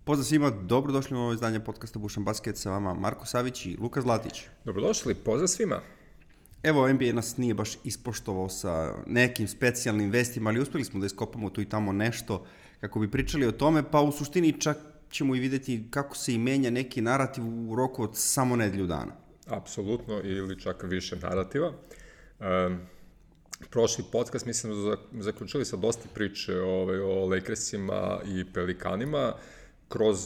Pozdrav svima, dobrodošli u ovo izdanje podcasta Bušan Basket, sa vama Marko Savić i Luka Zlatić. Dobrodošli, pozdrav svima. Evo, NBA nas nije baš ispoštovao sa nekim specijalnim vestima, ali uspeli smo da iskopamo tu i tamo nešto kako bi pričali o tome, pa u suštini čak ćemo i videti kako se i menja neki narativ u roku od samo nedelju dana. Apsolutno, ili čak više narativa. Prošli podcast mislim da zaključili sa dosta priče o Lakersima i Pelikanima, kroz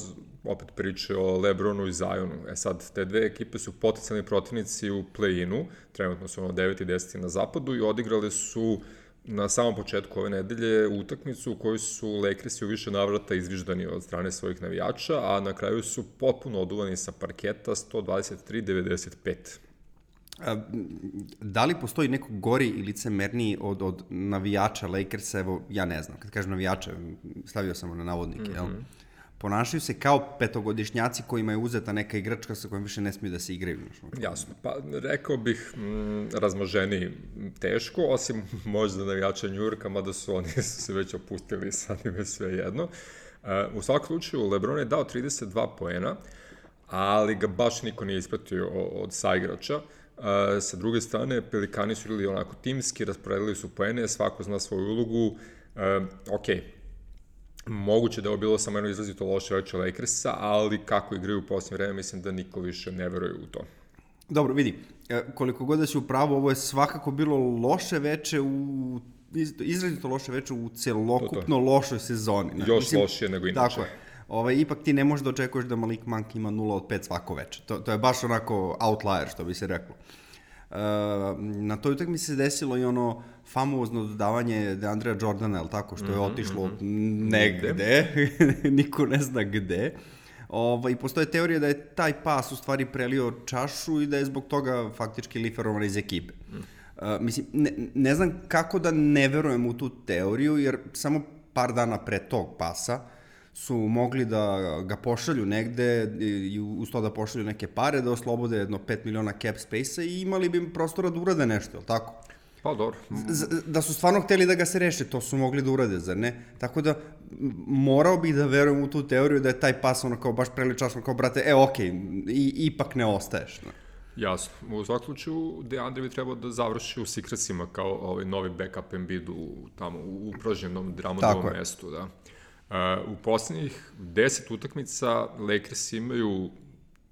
opet priče o LeBronu i Zionu. Sad, te dve ekipe su potencijalni protivnici u play-inu, trenutno su 9. i 10. na zapadu i odigrali su na samom početku ove nedelje utakmicu u kojoj su Lakersi u više navrata izviždani od strane svojih navijača, a na kraju su potpuno oduvani sa parketa 123-95. Da li postoji neko gori i licemerni od navijača Lakersa? Evo, ja ne znam. Kad kažem navijača, stavio sam na navodnike, jel? Ponašaju se kao petogodišnjaci kojima je uzeta neka igračka sa kojom više ne smiju da se igraju. Jasno, pa rekao bih razmoženiji teško, osim možda navijača New Yorka, mada su oni se već opustili, sad im je sve jedno. U svakom slučaju, LeBron je dao 32 poena, ali ga baš niko nije ispratio od saigrača. Sa druge strane, Pelikani su igrali onako timski, rasporedili su poene, svako zna svoju ulogu. Moguće da je ovo bilo samo jedno izrazito loše veče Lakersa, ali kako igraju u posljednje vreme, mislim da niko više ne veruje u to. Dobro, vidi, koliko god da si u pravu, ovo je svakako bilo loše veče izrazito loše veče u celokupno lošoj sezoni. Još lošije nego inače. Tako je. Ipak ti ne možeš da očekuješ da Malik Monk ima 0 od 5 svako veče. To je baš onako outlier, što bi se reklo. Na toj utakmici se desilo i ono famozno dodavanje DeAndrea Jordana, je tako, što je otišlo negde, niko ne zna gde. I postoje teorija da je taj pas u stvari prelio čašu i da je zbog toga faktički liferovan iz ekipe. Mislim, ne znam kako da ne verujem u tu teoriju, jer samo par dana pre tog pasa su mogli da ga pošalju negde i uz to da pošalju neke pare, da oslobode jedno 5 miliona cap space-a i imali bi prostora da urade nešto, je li tako? Pa dobro. Da su stvarno hteli da ga se reše, to su mogli da urade, zar ne? Tako da morao bih da verujem u tu teoriju da je taj pas ono kao baš preličasno, kao brate, ipak ne ostaješ. Ne? Jasno. U svakom slučaju, DeAndre bi trebao da završi u Secretsima kao novi backup Embiidu tamo u upražnjenom Drummondovom mestu, da. U poslednjih 10 utakmica Lakers imaju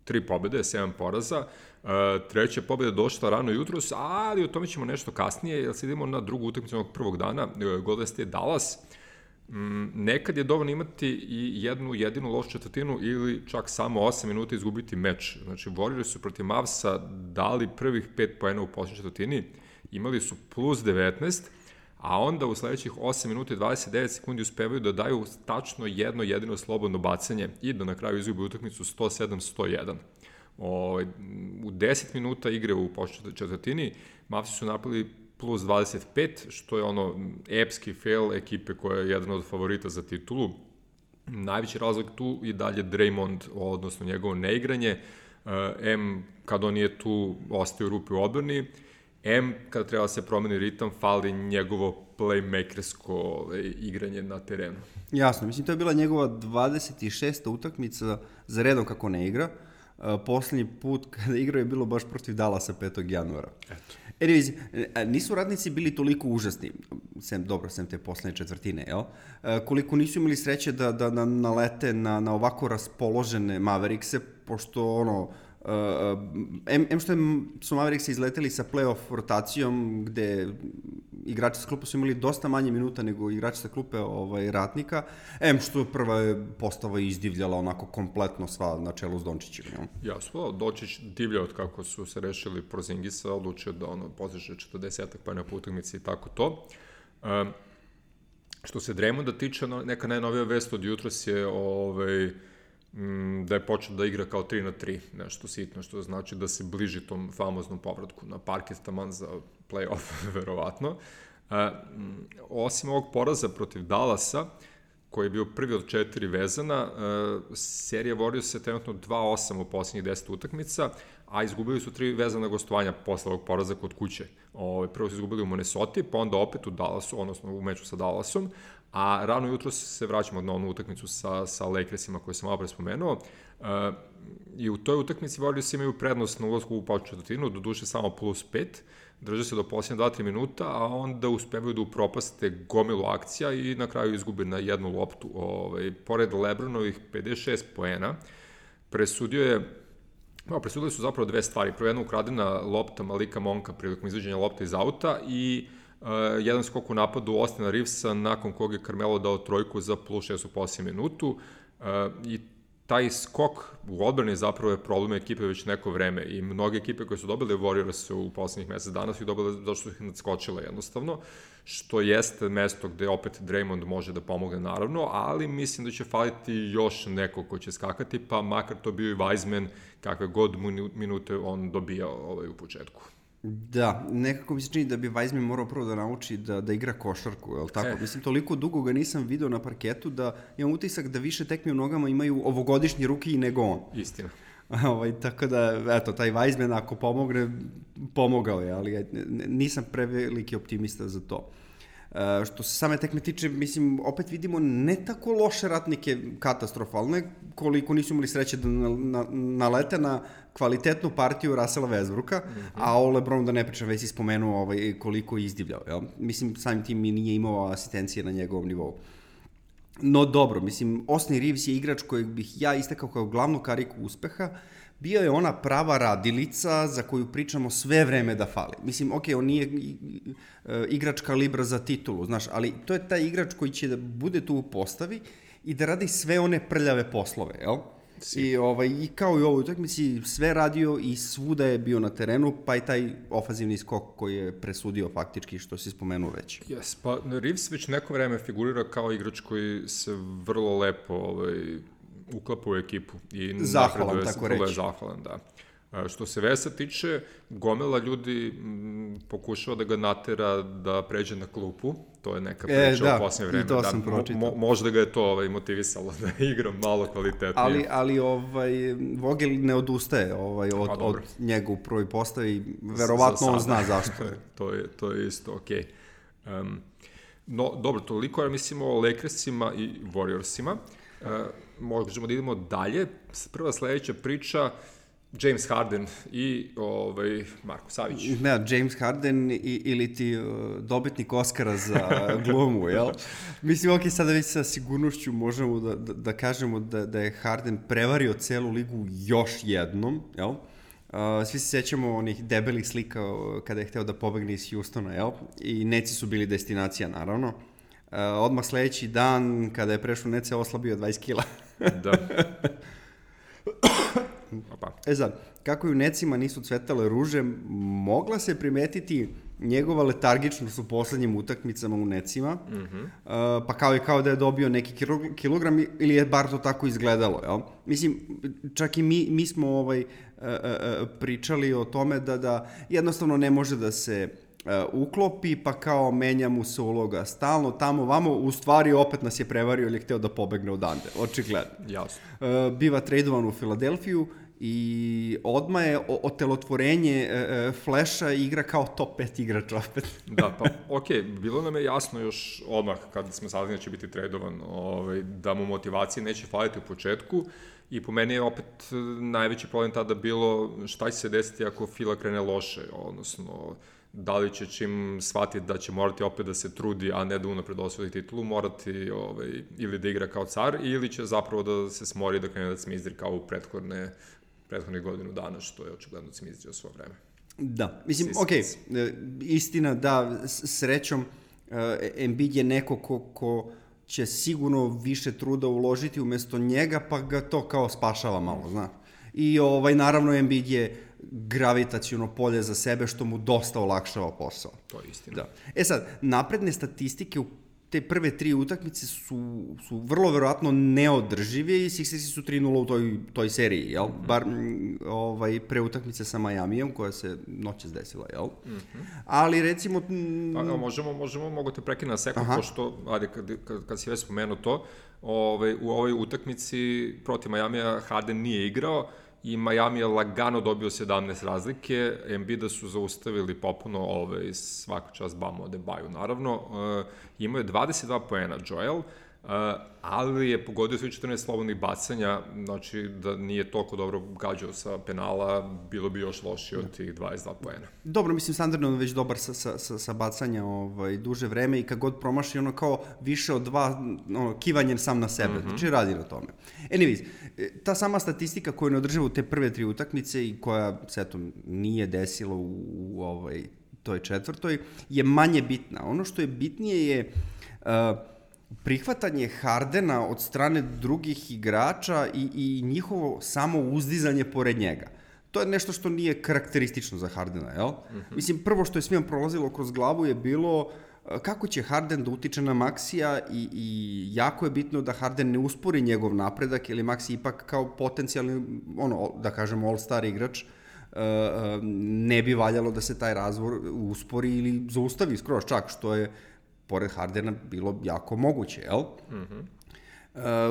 3 pobede, 7 poraza. Treća pobeda je došla rano jutros, ali o tome ćemo nešto kasnije, jer se idemo na drugu utakmicu onog prvog dana, Golden State Dallas. Nekad je dovoljno imati i jednu jedinu lošu četvrtinu ili čak samo 8 minuta izgubiti meč. Znači, Warriors su protiv Mavsa dali prvih 5 poena u poslednjoj četvrtini, imali su plus 19, a onda u sledećih 8 minuta i 29 sekundi uspevaju da daju tačno jedno jedino slobodno bacanje i da na kraju izgube utakmicu 107-101. U 10 minuta igre u poslednjoj četvrtini Mavsi su napravili plus 25, što je epski fail ekipe koja je jedan od favorita za titulu. Najveći razlog tu je dalje Draymond, odnosno njegovo neigranje. Kad on nije tu, ostaje u rupi u odbrani. Kada treba se promeni ritam, fali njegovo playmakersko igranje na terenu. Jasno, mislim, to je bila njegova 26. utakmica za redom kako ne igra. Poslednji put kada igrao je bilo baš protiv Dallasa 5. januara. Eto. Anyways, nisu radnici bili toliko užasni, sem te poslednje četvrtine, jel? Koliko nisu imali sreće da nalete na ovako raspoložene Maverickse, pošto što su Mavericks izleteli sa playoff rotacijom, gde igrači sa klupa su imali dosta manje minuta nego igrači sa klupe ratnika, što prva je postava izdivljala onako kompletno sva na čelu s Dončićem. Jasno, Dončić divlja od kako su se rešili Porzingisa, odlučio da postiže 40-ak poena po utakmici i tako to. Što se Draymonda tiče, neka najnovija vest od jutros je da je počeo da igra kao 3-3, nešto sitno, što znači da se bliži tom famoznom povratku na parket, taman za play-off, verovatno. Osim ovog poraza protiv Dallasa, koji je bio prvi od 4 vezana, serija Warriors se trenutno 2-8 u poslednjih 10 utakmica, a izgubili su 3 vezana gostovanja posle ovog poraza kod kuće. Prvo su izgubili u Minnesota, pa onda opet u Dallasu, odnosno u meču sa Dallasom, A rano jutro se vraćamo na onu utakmicu sa Lakersima koju sam malo pre spomenuo. I u toj utakmici Warriors imaju prednost na ulazku u početnu četvrtinu, doduše samo +5, drže se do posljednje 2-3 minuta, a onda uspevaju da upropaste gomilu akcija i na kraju izgube na jednu loptu. Pored LeBronovih 56 poena, presudili su zapravo dve stvari. Prvo, jedna ukradena lopta Malika Monka prilikom izvođenja lopta iz auta i jedan skok u napadu Austina Reevesa nakon kog je Carmelo dao trojku za +6 u posljednjem minutu i taj skok u odbrani zapravo je problem ekipe već neko vreme i mnoge ekipe koje su dobile Warriors u poslednjih mesec dana su ih dobile zato što su ih nadskočile jednostavno, što jeste mesto gde opet Draymond može da pomogne naravno, ali mislim da će faliti još neko ko će skakati, pa makar to bio i Wiseman, kakve god minute on dobijao u početku. Da, nekako mi se čini da bi Wiseman morao prvo da nauči da igra košarku, je li tako? Mislim, toliko dugo ga nisam video na parketu da imam utisak da više tekmi u nogama imaju ovogodišnji ruki nego on. Istina. Tako da, eto, taj Wiseman ako pomogne, pomogao je, ali nisam preveliki optimista za to. Što se same tekme tiče, mislim, opet vidimo ne tako loše ratnike katastrofalne, koliko nisu imali sreće da nalete na kvalitetnu partiju Russella Westbrooka, a o LeBronu da ne pričam, već si spomenuo koliko je izdivljao. Jel? Mislim, samim tim nije imao asistencije na njegovom nivou. No dobro, mislim, Austin Reeves je igrač kojeg bih ja istakao kao glavnu kariku uspeha. Bio je ona prava radilica za koju pričamo sve vreme da fali. Mislim, on nije igrač kalibra za titulu, znaš, ali to je taj igrač koji će da bude tu u postavi i da radi sve one prljave poslove, jel? I kao i u ovoj utakmici sve radio i svuda je bio na terenu, pa i taj ofanzivni skok koji je presudio faktički, što si spomenuo već. Yes, pa Reeves već neko vreme figurira kao igrač koji se vrlo lepo uklapa u ekipu. I zahvalan, tako reći. Vrlo je zahvalan, da. Što se Vesa tiče, gomila ljudi pokušava da ga natera da pređe na klupu, to je neka priča u posljednje vreme. I to sam pročitao. Možda ga je to motivisalo da igra malo kvalitetnije. Ali Vogel ne odustaje od njega u prvoj postavi, verovatno on zna zašto je. To je isto okej. No, dobro, toliko je, mislimo, o Lakersima i Warriorsima. Možemo da idemo dalje. Prva sledeća priča, James Harden i Marko Savić. Ne, James Harden ili ti dobitnik Oscara za glumu, jel? Mislim, sada već sa sigurnošću možemo da kažemo da je Harden prevario celu ligu još jednom, jel? Svi se sećamo onih debelih slika kada je hteo da pobegne iz Houstona, jel? I Netsi su bili destinacija, naravno. Odmah sledeći dan, kada je prešao Netsi, oslabio 20 kila. Da. Sad, kako i u Netsima nisu cvetale ruže, mogla se primetiti njegova letargičnost u poslednjim utakmicama u Netsima, pa kao da je dobio neki kilogram ili je bar to tako izgledalo, jel? Mislim, čak i mi smo pričali o tome da jednostavno ne može da se uklopi, pa kao menja mu se uloga stalno, tamo, vamo, u stvari opet nas je prevario ili je hteo da pobegne odande, očigledno. Jasno. Biva tradovan u Filadelfiju i odmah je otelotvorenje Flasha igra kao top 5 igrač opet. Da, pa okej, bilo nam je jasno još odmah kad smo saznali da će biti tradovan, da mu motivacije neće faliti u početku i po meni je opet najveći problem tada bilo šta će se desiti ako Fila krene loše, odnosno da li će čim shvatiti da će morati opet da se trudi, a ne da unapred osvoji titulu, morati ili da igra kao car, ili će zapravo da se smori da krene da cmizdri kao u prethodnih godinu dana, što je očigledno cmizdrio svoje vreme. Da, mislim, istina da, srećom, Embiid je neko ko će sigurno više truda uložiti umesto njega, pa ga to kao spašava malo, znaš. I naravno Embiid je gravitaciono polje za sebe, što mu dosta olakšava posao. To je istina. Da. Sad, napredne statistike u te prve 3 utakmice su vrlo verovatno neodržive i Sixersi su 3-0 u toj seriji, jel? Bar pre utakmice sa Majamijem, koja se noćas desila, jel? Ali recimo... Mogu te prekinuti na sekund, pošto, kad si već spomenuo to, u ovoj utakmici protiv Majamija Harden nije igrao i Miami je lagano dobio 17 razlike, Embida su zaustavili popuno svaka čast Bamo Adebayo, naravno. Imao je 22 poena Joel, ali je pogodio svih 14 slobodnih bacanja, znači da nije toliko dobro gađao sa penala, bilo bi još lošije od tih 22 poena. Dobro, mislim, standardno on već dobar sa bacanja duže vreme i kad god promaši ono kao više od 2, kivanjem sam na sebe, znači radi na tome. Anyways, ta sama statistika koju ne održava u te prve 3 utakmice i koja se eto nije desila u toj četvrtoj, je manje bitna. Ono što je bitnije je prihvatanje Hardena od strane drugih igrača i njihovo samo uzdizanje pored njega. To je nešto što nije karakteristično za Hardena, jel? Mislim, prvo što je svima prolazilo kroz glavu je bilo kako će Harden da utiče na Maxija i jako je bitno da Harden ne uspori njegov napredak, jer je Maxi ipak kao potencijalni, da kažemo, all-star igrač, ne bi valjalo da se taj razvoj uspori ili zaustavi skroz čak, što je pored Hardena bilo jako moguće, jel?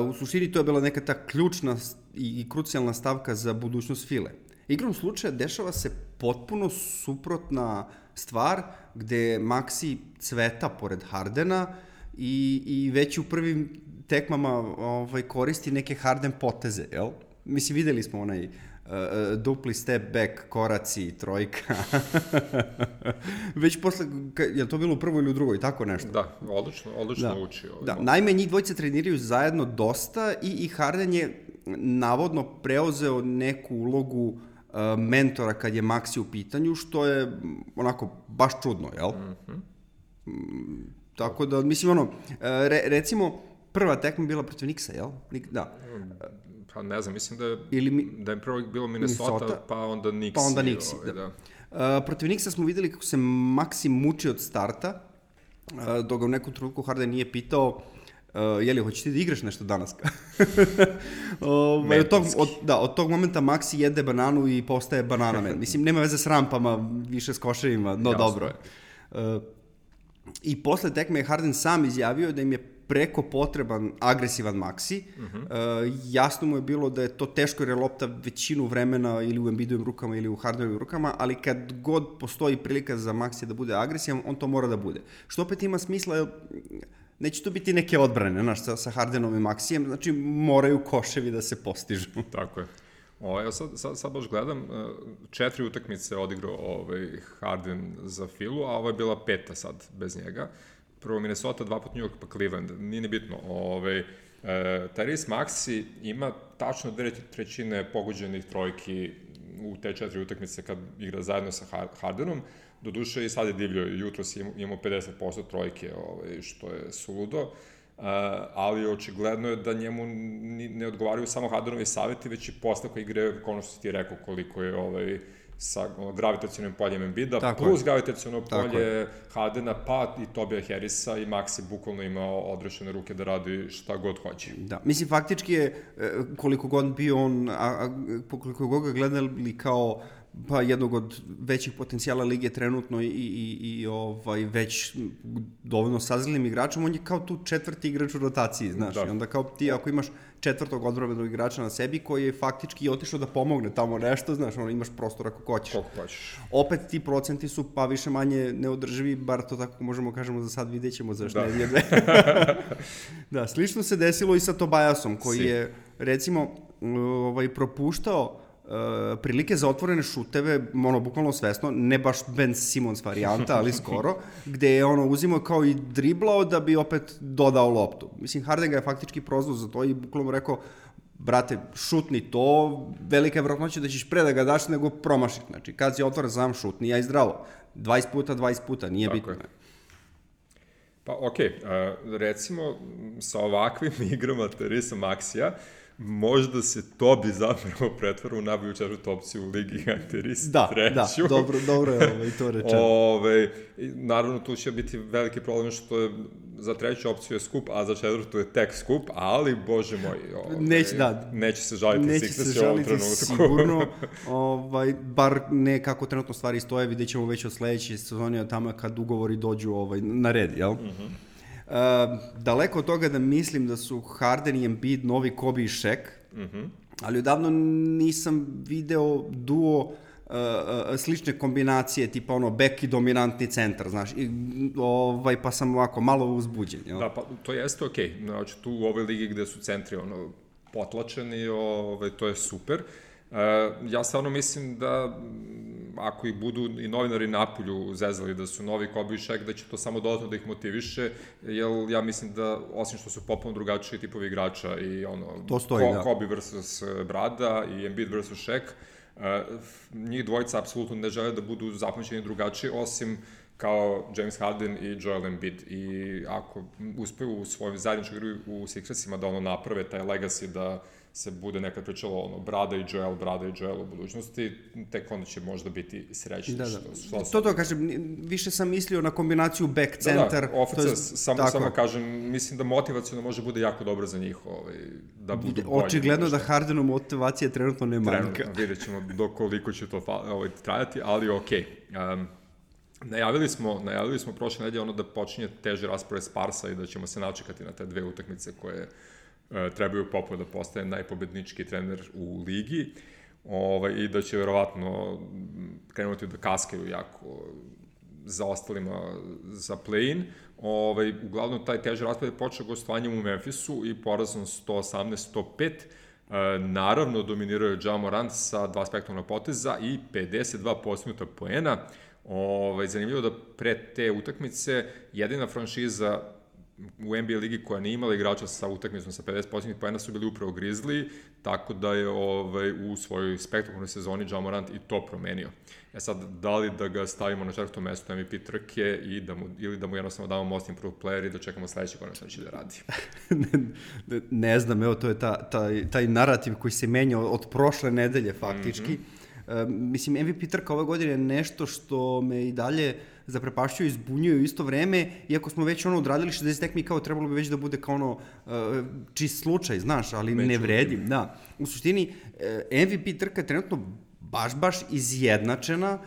U suštini to je bila neka ta ključna i krucijalna stavka za budućnost File. Igrom slučaja dešava se potpuno suprotna stvar gde Maxi cveta pored Hardena i već u prvim tekmama koristi neke Harden poteze, jel? Mislim, videli smo onaj dupli step back, koraci, trojka. Već posle, je to bilo u prvoj ili u drugoj, tako nešto? Da, odlično uči. Da, naime, njih dvojice treniraju zajedno dosta i Harden je navodno preuzeo neku ulogu mentora kad je Maxi u pitanju, što je onako baš čudno, jel? Tako da, mislim, recimo, prva tekma bila protiv Knicksa, jel? Da. Pa ne znam, mislim da je prvo bilo Minnesota, pa onda Knicks. Pa onda Knicks, da. Protiv Knicksa smo videli kako se Maxi muči od starta, dok ga u nekom trenutku Harden nije pitao jeli, hoćeš ti da igraš nešto danas? Od tog momenta Maxi jede bananu i postaje banana man. Mislim, nema veze s rampama, više s koševima, no jasno. Dobro je. I posle tekme je Harden sam izjavio da im je preko potreban agresivan Maxi. Jasno mu je bilo da je to teško jer je lopta većinu vremena ili u Embidovim rukama ili u Hardenovim rukama, ali kad god postoji prilika za Maxi da bude agresivan, on to mora da bude. Što opet ima smisla, jer neće to biti neke odbrane, sa Hardenom i Maxijem, znači moraju koševi da se postižu. Tako je. Ja sad baš gledam, 4 utakmice odigrao Harden za Filu, a ovo je bila 5. sad bez njega. Prvo Minnesota, 2 put New York, pa Cleveland, nije nebitno. Tyrese Maxey ima tačno 2/3 pogođenih trojki u te 4 utakmice kad igra zajedno sa Hardenom. Doduše i sad je divljio, jutros imamo 50% trojke, što je suludo, ali očigledno je da njemu ne odgovaraju samo Hardenovi savjeti, već i postavka igre, ono što si ti rekao, koliko je sa gravitacionim poljem Embida, plus gravitaciono polje Hardena, pa i Tobija Harrisa i Maxi bukvalno imao odrešene ruke da radi šta god hoće. Da, mislim, faktički je, koliko god bio on, koliko god ga gledali kao pa jednog od većih potencijala lige trenutno i već dovoljno sazrelim igračom, on je kao tu 4. igrač u rotaciji, znaš, i onda kao ti ako imaš 4. odbrambenog igrača na sebi koji je faktički otišao da pomogne tamo nešto, znaš, imaš prostor ako hoćeš. Opet ti procenti su pa više manje neodrživi, bar to tako možemo kažemo za sad, vidjet ćemo zašto ne vidje. Da, slično se desilo i sa Tobiasom koji je recimo propuštao prilike za otvorene šuteve, bukvalno svesno, ne baš Ben Simmons varijanta, ali skoro, gde je uzimao kao i driblao da bi opet dodao loptu. Mislim, Harden ga je faktički prozvao za to i bukvalno rekao, brate, šutni to, velika je vjerojatnoća da ćeš pre da ga daš nego promašiti. Znači, kad si otvoren sam šutni, ja i zdravo. 20 puta, nije bitno. Je. Pa okej, recimo sa ovakvim igrama Tyrese Maxija, možda se to bi zapravo pretvara u najbolju 4. opciju u ligi, a Tyrese 3. Da, dobro je to rečeno. Naravno, tu će biti veliki problem što je za 3. opciju je skup, a za 4. je tek skup, ali, bože moj, neće se žaliti Sixers u ovom trenutku. Sigurno, bar ne kako trenutno stvari stoje, vidjet ćemo već od sledeće sezone od tamo kad ugovori dođu na red, jel? Daleko od toga da mislim da su Harden i Embiid novi Kobe i Shaq, ali odavno nisam video duo slične kombinacije, tipa bek i dominantni centar, znaš, pa sam ovako malo uzbuđen. Jel? Da, pa to jeste okej. Znači, tu u ovoj ligi gde su centri potlačeni, to je super. Ja stvarno mislim da ako ih budu i novinari napolju zezali da su novi Kobe i Shaq, da će to samo dodatno da ih motiviše, jer ja mislim da, osim što su potpuno drugačiji tipovi igrača i Kobe versus Brada i Embiid versus Shaq, njih dvojica apsolutno ne žele da budu zapamćeni drugačiji, osim kao James Harden i Joel Embiid. I ako uspeju u svojoj zajedničkoj igri u Sixersima da naprave taj legacy da se bude nekad pričalo Brada i Joel u budućnosti, tek onda će možda biti srećni. To kažem, više sam mislio na kombinaciju back-centar. Samo kažem, mislim da motivacijno može bude jako dobro za njih da budu bolji. Očigledno da Hardenu motivacija trenutno ne manjka. Vidjet ćemo koliko će to trajati, ali okej. Najavili smo prošle nedelje da počinje teži raspored Sparsa i da ćemo se načekati na te dve utakmice koje trebaju Popo da postane najpobednički trener u ligi i da će verovatno krenuti da kaskaju jako za ostalima za play-in. Uglavnom, taj teži raspored je počeo gostovanjem u Memphisu i porazom 118-105. Naravno, dominirao je Ja Morant sa 2 spektakularna poteza i 52 postignuta poena. Zanimljivo da pre te utakmice jedina franšiza u NBA ligi koja nije imala igrača sa utakmicom sa 50 postignutim poena su bili upravo Grizzly, tako da je u svojoj spektakularnoj sezoni Ja Morant i to promenio. Sad, da li da ga stavimo na 4. mesto MVP trke ili da mu jednostavno damo most improved player i da čekamo sledeće godine šta će da radi? Ne znam, evo, to je taj narativ koji se menja od prošle nedelje faktički. Mislim, MVP trka ove godine je nešto što me i dalje zaprepašćuje i zbunjuje u isto vreme, iako smo već odradili 60 tekmi, kao trebalo bi već da bude kao čist slučaj, znaš, ali ne vredi. Da. U suštini, MVP trka je trenutno baš izjednačena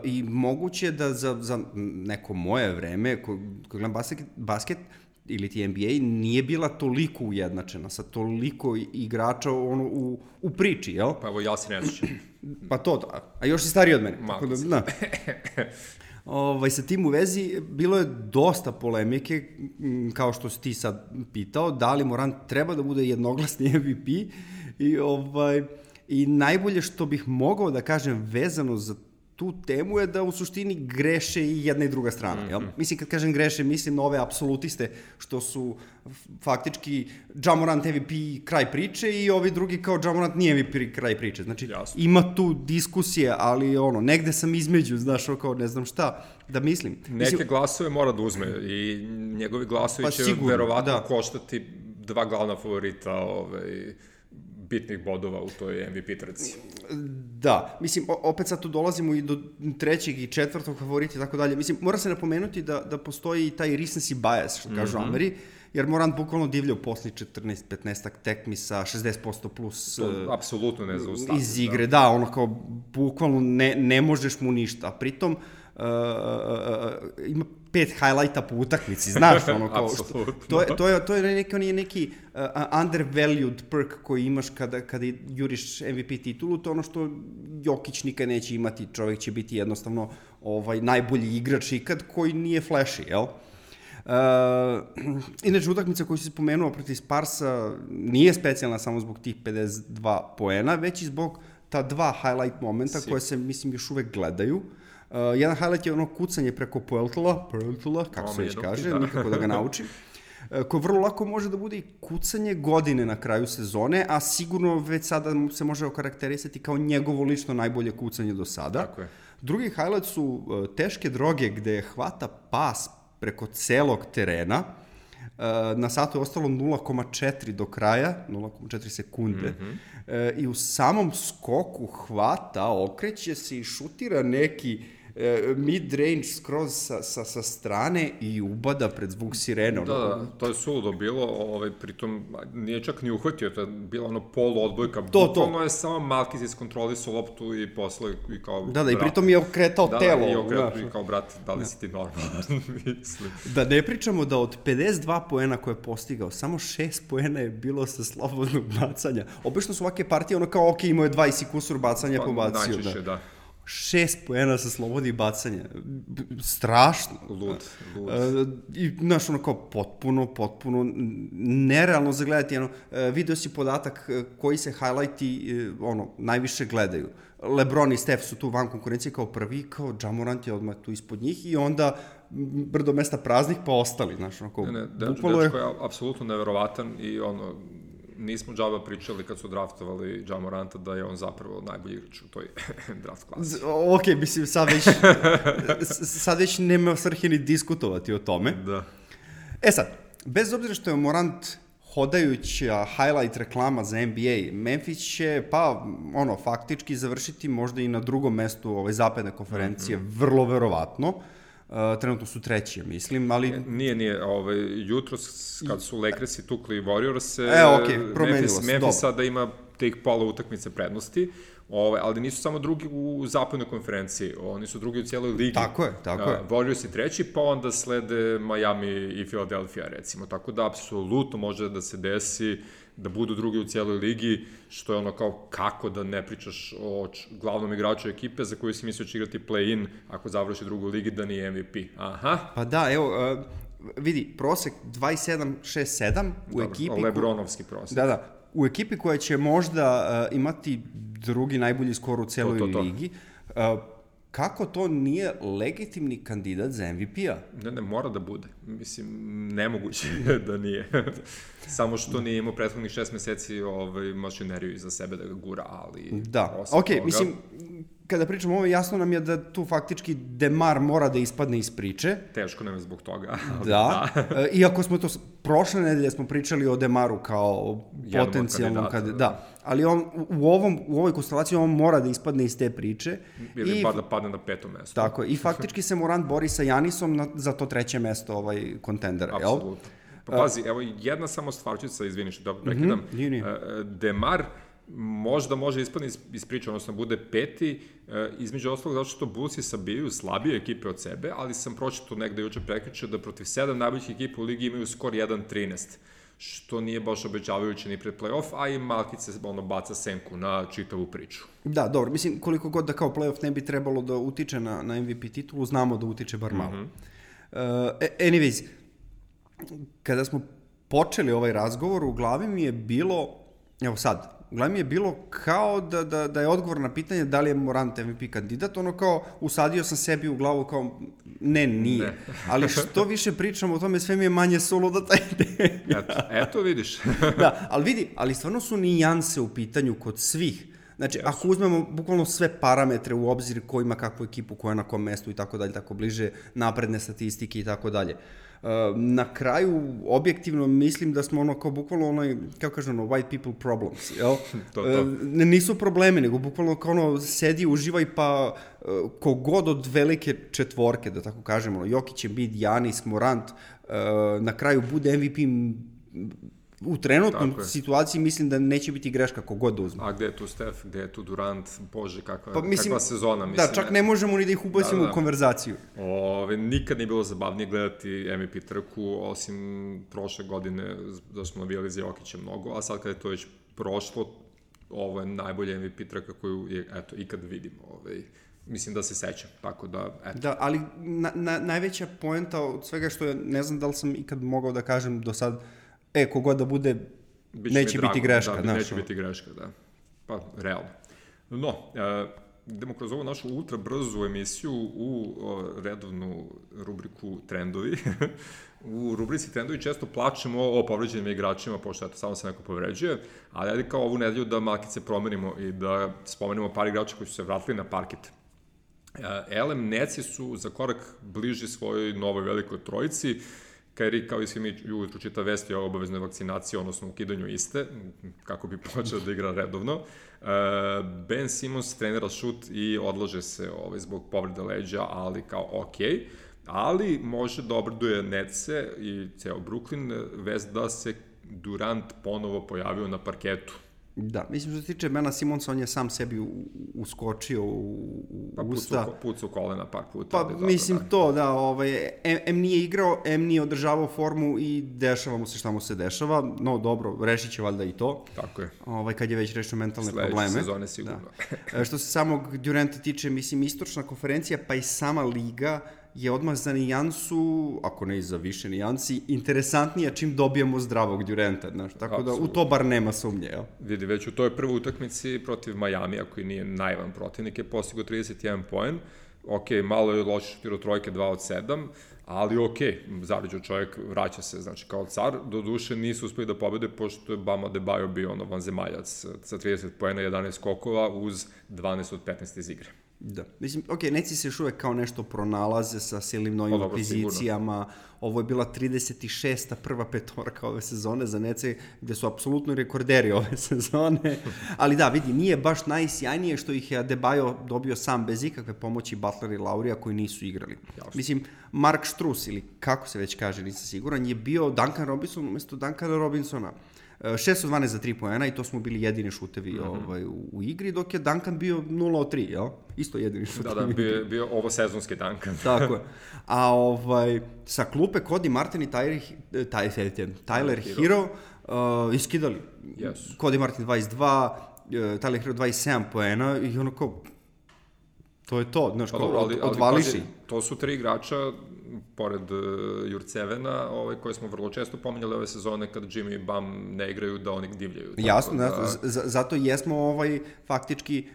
i moguće da za neko moje vreme, ko gledam basket ili ti NBA, nije bila toliko ujednačena, sa toliko igrača u priči, jel? Pa evo, ja se ne sjećam. Pa to, a još si stariji od mene. Sa tim u vezi, bilo je dosta polemike, kao što si ti sad pitao, da li Morant treba da bude jednoglasni MVP i najbolje što bih mogao da kažem vezano za tu temu je da u suštini greše i jedna i druga strana. Jel? Mislim, kad kažem greše, mislim na ove apsolutiste što su faktički Ja Morant MVP kraj priče i ovi drugi kao Ja Morant nije MVP kraj priče. Znači, ima tu diskusije, ali negde sam između, znaš, kao ne znam šta da mislim. Neke glasove mora da uzme i njegovi glasovi će verovatno koštati 2 glavna favorita bitnih bodova u toj MVP trci. Da, mislim, opet sad tu dolazimo i do 3. i 4. favorita i tako dalje. Mislim, mora se napomenuti da postoji taj recency bias, što kažu Ameri, jer Morant bukvalno divlja u posli 14-15 tekmi sa 60% plus apsolutno ne zaustavlja iz igre. Da, kao bukvalno ne možeš mu ništa. A pritom ima 5 highlighta po utakmici, znaš, to je neki undervalued perk koji imaš kada juriš MVP titulu, to je ono što Jokić nikad neće imati, čovjek će biti jednostavno najbolji igrač ikad koji nije flashy, jel? Inače, utakmica koju si spomenuo protiv Sparsa nije specijalna samo zbog tih 52 poena, već i zbog ta 2 highlight momenta koje se, mislim, još uvek gledaju. Jedan highlight je kucanje preko Poeltla, kako se već kaže, nikako da ga naučim, koje vrlo lako može da bude i kucanje godine na kraju sezone, a sigurno već sada se može okarakterisati kao njegovo lično najbolje kucanje do sada. Tako je. Drugi highlight su teške droge gde hvata pas preko celog terena. Na satu je ostalo 0,4 do kraja, 0,4 sekunde. I u samom skoku hvata, okreće se i šutira neki mid-range skroz sa strane i ubada pred zvuk sirene. Da, to je suludo bilo, pritom nije čak ni uhvatio, to je bila ono polu odbojka, bukvalno je samo Malkiz iskontrolisao loptu i poslao i kao... Da, i pritom je okretao telo. Da, i okretao i kao, brat, da li si ti normalan, mislim. Da ne pričamo da od 52 poena koje je postigao, samo 6 poena je bilo sa slobodnog bacanja. Obično su ovake partije ono kao, ok, imao je 20 kusur bacanja pobacio. Najčešće, da. 6 poena sa slobodnih bacanja. Strašno. Lud. I, znaš, ono kao potpuno nerealno zagledati. Video si podatak koji se highlighti najviše gledaju. LeBron i Steph su tu van konkurencije kao prvi, kao Ja Morant je odmah tu ispod njih i onda brdo mesta praznih pa ostali, znaš, ono kao... Dečko je apsolutno neverovatan i nismo džaba pričali kad su draftovali Ja Moranta da je on zapravo najbolji igrač u toj draft klasi. Ok, mislim, sad već nema svrhe ni diskutovati o tome. Da. Sad, bez obzira što je Morant hodajuća highlight reklama za NBA, Memphis će, faktički završiti možda i na drugom mestu zapadne konferencije, vrlo verovatno. Trenutno su treći, mislim, ali... Nije, jutros kad su Lakersi tukli Warriors, Memphis sada ima tih pola utakmice prednosti, ali nisu samo drugi u zapadnoj konferenciji, oni su drugi u cijeloj ligi. Tako je. Warriors je treći, pa onda slede Miami i Philadelphia, recimo, tako da apsolutno može da se desi da budu drugi u cijeloj ligi, što je ono kao kako da ne pričaš o glavnom igraču ekipe za koju si mislio će igrati play-in ako završi drugu ligi da nije MVP. Aha. Pa da, evo, vidi, prosek 27-6-7 u ekipi... Lebronovski prosek. Da, u ekipi koja će možda imati drugi najbolji skor u cijeloj ligi. Kako to nije legitimni kandidat za MVP-a? Ne, mora da bude. Mislim, nemoguće da nije. Samo što nije imao prethodnih 6 meseci mašineriju iza sebe da ga gura, ali... Da, mislim, kada pričamo ovo, jasno nam je da tu faktički DeMar mora da ispadne iz priče. Teško nam je zbog toga. Da, iako smo to... Prošle nedelje smo pričali o DeMaru kao potencijalnom kandidatu. Da, ali on u ovoj konstelaciji on mora da ispadne iz te priče. Ili bar da padne na 5. mesto. Tako, i faktički se Morant bori sa Janisom za to 3. mesto kontendera. Apsolutno. Pa pazi, evo jedna samo stvarčica, izvini što da prekidam. DeMar možda može ispadne iz priče, odnosno bude 5. između ostalog zato što Bullsi sabijaju slabije ekipe od sebe, ali sam pročitao negde juče prekričio da protiv 7 najboljih ekipa u ligi imaju skor 1-13, što nije baš obećavajuće ni pred play-off, a i Malkice baca senku na čitavu priču. Da, dobro, mislim, koliko god da kao play-off ne bi trebalo da utiče na MVP titulu, znamo da utiče bar malo. Anyways, kada smo počeli ovaj razgovor, u glavi mi je bilo, kao da je odgovor na pitanje da li je Morant MVP kandidat, ono kao usadio sam sebi u glavu kao nije. Ali što više pričam o tome, sve mi je manje suludo taj ideja. Eto vidiš. Da, ali stvarno su nijanse u pitanju kod svih. Znači, ako uzmemo bukvalno sve parametre u obzir ko ima kakvu ekipu, ko je na kom mestu i tako dalje, tako bliže napredne statistike i tako dalje. Na kraju, objektivno, mislim da smo ono kao bukvalno kako kažem, white people problems, jel? Nisu problemi, nego bukvalno kao sedi, uživaj, pa kogod od velike četvorke, da tako kažemo, Jokić, Embiid, Giannis, Morant, na kraju bude MVP u trenutnom situaciji, mislim da neće biti greška kogod da uzme. A gde je tu Steph, gde je tu Durant, bože, kakva sezona. Da, čak ne možemo ni da ih ubacimo u konverzaciju. Nikad nije bilo zabavnije gledati MVP trku, osim prošle godine, da smo navijali za Jokića mnogo, a sad kada je to već prošlo, ovo je najbolja MVP trka koju ikad vidimo. Mislim da se sećam, tako da, eto. Da, ali najveća poenta od svega što je, ne znam da li sam ikad mogao da kažem do sad, kogod da bude, neće biti greška. Da, neće biti greška, da. Pa, realno. No, idemo kroz ovu našu ultra brzu emisiju u redovnu rubriku Trendovi. U rubrici Trendovi često plačemo o povređenim igračima, pošto samo se neko povređuje, ali ajde kao ovu nedelju da malkice promenimo i da spomenemo par igrača koji su se vratili na parket. LM Netsi su za korak bliži svojoj novoj velikoj trojici. Kyrie, kao i svi mi ujutru čita vesti o obaveznoj vakcinaciji, odnosno ukidanju iste, kako bi počeo da igra redovno. Ben Simmons trenira šut i odlaže se zbog povrede leđa, ali kao okej. Ali može da obraduje Netse i ceo Brooklyn vest da se Durant ponovo pojavio na parketu. Da, mislim što se tiče Bena Simonsa, on je sam sebi uskočio u usta. Pucao kolena par puta. Pa mislim to, da, M nije igrao, M nije održavao formu i dešava mu se šta mu se dešava. No dobro, rešit će valjda i to. Tako je. Kad je već rešio mentalne probleme. Sledeće sezone sigurno. Da. Što se samog Duranta tiče, mislim, istočna konferencija, pa i sama liga je odmah za nijansu, ako ne i za više nijansi, interesantnija čim dobijemo zdravog Duranta, znaš, tako da u to bar nema sumnje, jel? Vidi, već u toj prvoj utakmici protiv Majamija, koji nije naivan protivnik, je postigao 31 poen, malo je loše šutirao trojke 2 od 7, ali zaviđao čovjek, vraća se, znači, kao car, do duše nisu uspeli da pobede, pošto je Bam Adebayo bio vanzemaljac sa 30 poena, 11 skokova, uz 12 od 15 iz igre. Da, mislim, Netsi se još uvek kao nešto pronalaze sa silnim novim pozicijama, ovo je bila 36. prva petorka ove sezone za Netsi, gde su apsolutno rekorderi ove sezone, ali da, vidi, nije baš najsjajnije što ih je Adebayo dobio sam bez ikakve pomoći Butler i Laurija koji nisu igrali. Jasno. Mislim, Mark Strus, ili kako se već kaže, nisam siguran, je bio Duncan Robinson umesto Duncana Robinsona. 6 od 12 za 3 poena i to smo bili jedini šutevi u igri, dok je Duncan bio 0 od 3, jel? Isto jedini šutevi. Da, bio ovo sezonski Duncan. Tako je. A sa klupe Cody Martin i Tyler Hero iskidali. Yes. Cody Martin 22, Tyler Hero 27 poena i ono kao, to je to, znaš, odvališi. To su 3 igrača, pored Jurcevena, koje smo vrlo često pominjali ove sezone, kada Jimmy i Bam ne igraju, da oni divljaju. Jasno, zato jesmo faktički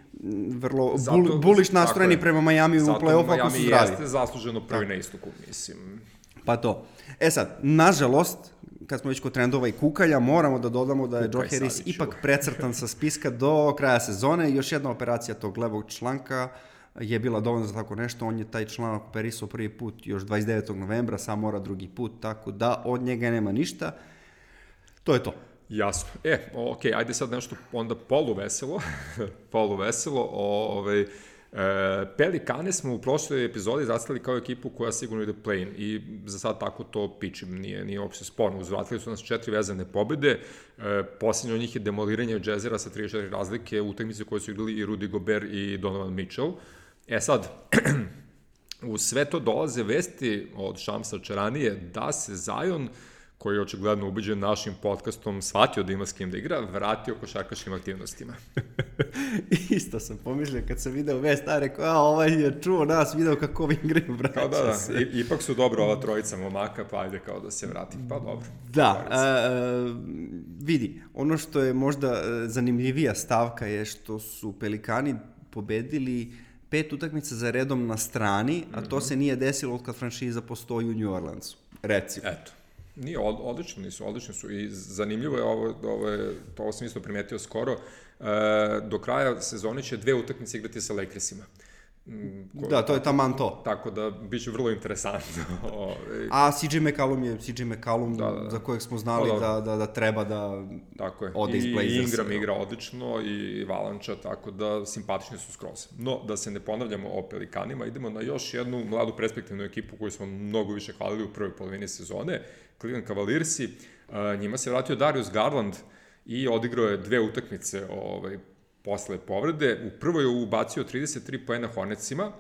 vrlo bullish nastrojeni prema Majamiju u play-offu ako su zdravi. Zato Miami jeste zasluženo prvi na istoku, mislim. Pa to. Sad, nažalost, kad smo već kod trendova i kukalja, moramo da dodamo da je Joe Harris ipak precrtan sa spiska do kraja sezone. Još jedna operacija tog levog članka je bila dovoljna za tako nešto, on je taj članak operisao prvi put još 29. novembra, sam mora drugi put, tako da od njega nema ništa. To je to. Jasno. Ajde sad nešto onda poluveselo. Pelikane smo u prošloj epizodi zastavili kao ekipu koja sigurno ide play-in i za sad tako to pičim, nije uopšte sporno. Uzvratili su nas 4 vezane pobjede, posljednje od njih je demoliranje od Jazzera sa 34 razlike u utakmici koje su igrali i Rudy Gobert i Donovan Mitchell. Sad, u sve to dolaze vesti od Šamsa Čaranije da se Zion, koji je očigledno ubeđen našim podcastom, shvatio da ima s kim da igra, vratio košarkaškim aktivnostima. Isto sam pomišljao kad sam video vest, rekao, je čuo nas, video kako ovi igraju, vraća se. Ipak su dobro ova trojica momaka, pa ajde kao da se vrati, pa dobro. Da, vidi, ono što je možda zanimljivija stavka je što su Pelikani pobedili 5 utakmica za redom na strani, a to se nije desilo od kad franšiza postoji u New Orleansu, recimo. Eto. Nije, odlični su i zanimljivo je ovo sam isto primetio skoro, do kraja sezone će 2 utakmice igrati sa Lakersima. Da, to je taman to. Tako da bit će vrlo interesantno. A CJ McCollum za kojeg smo znali da treba da ode iz Blazersa. I Ingram igra odlično i Valanča, tako da simpatični su skroz. No, da se ne ponavljamo o Pelikanima, idemo na još jednu mladu perspektivnu ekipu koju smo mnogo više hvalili u prvoj polovini sezone, Cleveland Cavaliersi. Njima se vratio Darius Garland i odigrao je 2 utakmice posle povrede. U prvoj je ubacio 33 poena Hornetsima,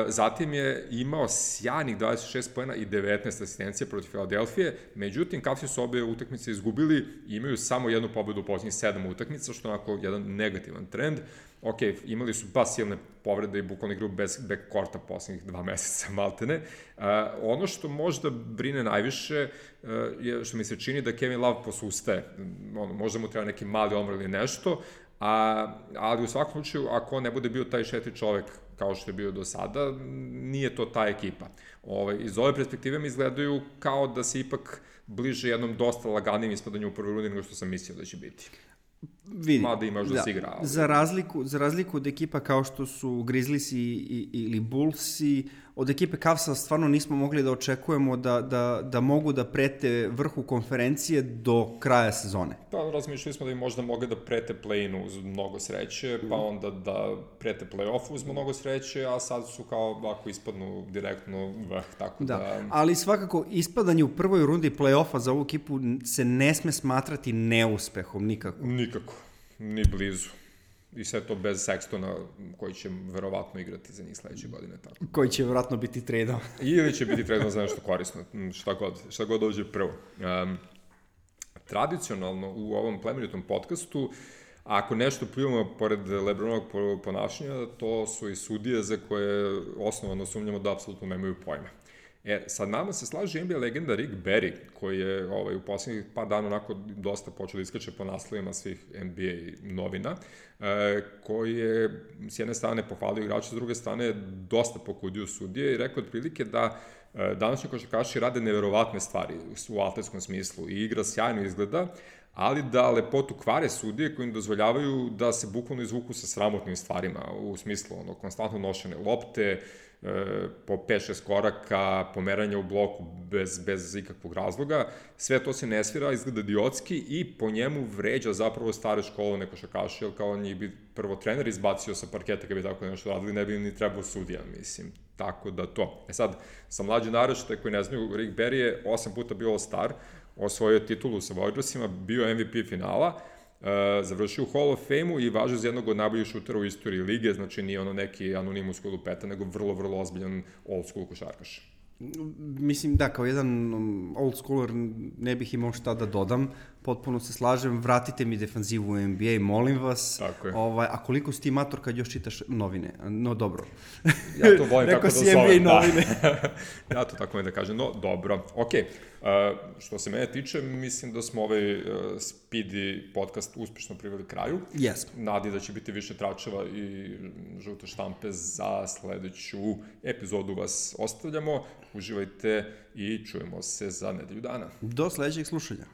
zatim je imao sjajnih 26 poena i 19 asistencija protiv Filadelfije, međutim, Cavsi su obe utakmice izgubili i imaju samo jednu pobedu u posljednjih 7 utakmica, što je onako jedan negativan trend. Imali su baš silne povrede i bukvalno igraju bez backcourta posljednjih 2 meseca, maltene. Ono što možda brine najviše je što mi se čini da Kevin Love posustaje. Možda mu treba neki mali omor ili nešto, ali u svakom slučaju, ako on ne bude bio taj 4 čovek kao što je bio do sada, nije to ta ekipa. Iz ove perspektive mi izgledaju kao da se ipak bliže jednom dosta laganim ispadanju u prvoj rundi nego što sam mislio da će biti. mada imaš da se igra. Ali... Za razliku od ekipa kao što su Grizzliesi ili Bullsi, od ekipe Cavsa stvarno nismo mogli da očekujemo da mogu da prete vrhu konferencije do kraja sezone. Pa razmišljali smo da bi možda mogli da prete play-inu uz mnogo sreće, pa onda da prete play-offu uz mnogo sreće, a sad su kao ovako ispadnu direktno tako da... Ali svakako ispadanje u prvoj rundi play-offa za ovu ekipu se ne sme smatrati neuspehom nikako. Nikako, ni blizu. I sve to bez Sextona, koji će verovatno igrati za njih sledeće godine. Tako. Koji će verovatno biti tradao. Ili će biti tradao za nešto korisno, šta god dođe prvo. Tradicionalno u ovom plemenitom podcastu, ako nešto pljuvamo pored LeBronovog ponašanja, to su i sudije za koje osnovano sumnjamo da apsolutno nemaju pojma. Sad nama se slaže NBA legenda Rick Barry, koji je u poslednjih par dana onako dosta počeo da iskače po naslovima svih NBA novina, koji je s jedne strane pohvalio igrača, s druge strane dosta pokudio sudije i rekao otprilike da današnji košarkaši rade neverovatne stvari u atletskom smislu i igra sjajno izgleda, ali da lepotu kvare sudije koji im dozvoljavaju da se bukvalno izvuku sa sramotnim stvarima, u smislu konstantno nošene lopte, po 5-6 koraka, pomeranja u bloku bez ikakvog razloga, sve to se ne svira, izgleda idiotski i po njemu vređa zapravo stare školovne košarkaše, jer kao njih bi prvo trener izbacio sa parketa kad bi tako nešto radili, ne bi im ni trebao sudija, mislim, tako da to. Sad, sa mlađe naraštaje koji ne znaju, Rick Barry je 8 puta bio All-Star, osvojio titulu sa Warriorsima, bio MVP finala, završio u Hall of Fame-u i važio za jednog od najboljih šutera u istoriji lige, znači nije ono neki anonimus koji lupeta, nego vrlo, vrlo ozbiljan old school košarkaš. Mislim da, kao jedan old schooler ne bih imao šta da dodam, potpuno se slažem, vratite mi defanzivu u NBA, molim vas. Tako je. A koliko si ti mator kad još čitaš novine? No, dobro. Ja to volim tako da zovem. Rekao si NBA novine. Ja to tako volim da kažem, no, dobro. Okej, što se mene tiče, mislim da smo ovaj Speedy podcast uspešno priveli kraju. Yes. Nadi da će biti više tračeva i žute štampe za sledeću epizodu vas ostavljamo. Uživajte i čujemo se za nedelju dana. Do sledećeg slušanja.